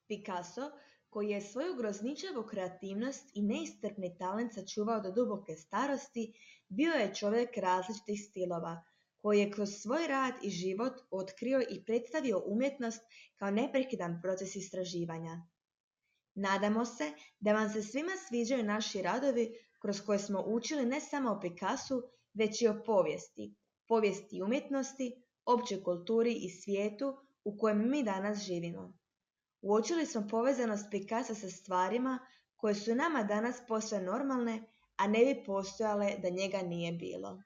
Picasso, koji je svoju grozničavu kreativnost i neiscrpni talent sačuvao do duboke starosti, bio je čovjek različitih stilova, koji je kroz svoj rad i život otkrio i predstavio umjetnost kao neprekidan proces istraživanja. Nadamo se da vam se svima sviđaju naši radovi kroz koje smo učili ne samo o Picassu, već i o povijesti umjetnosti, općoj kulturi i svijetu u kojem mi danas živimo. Uočili smo povezanost Picassa sa stvarima koje su nama danas posve normalne, a ne bi postojale da njega nije bilo.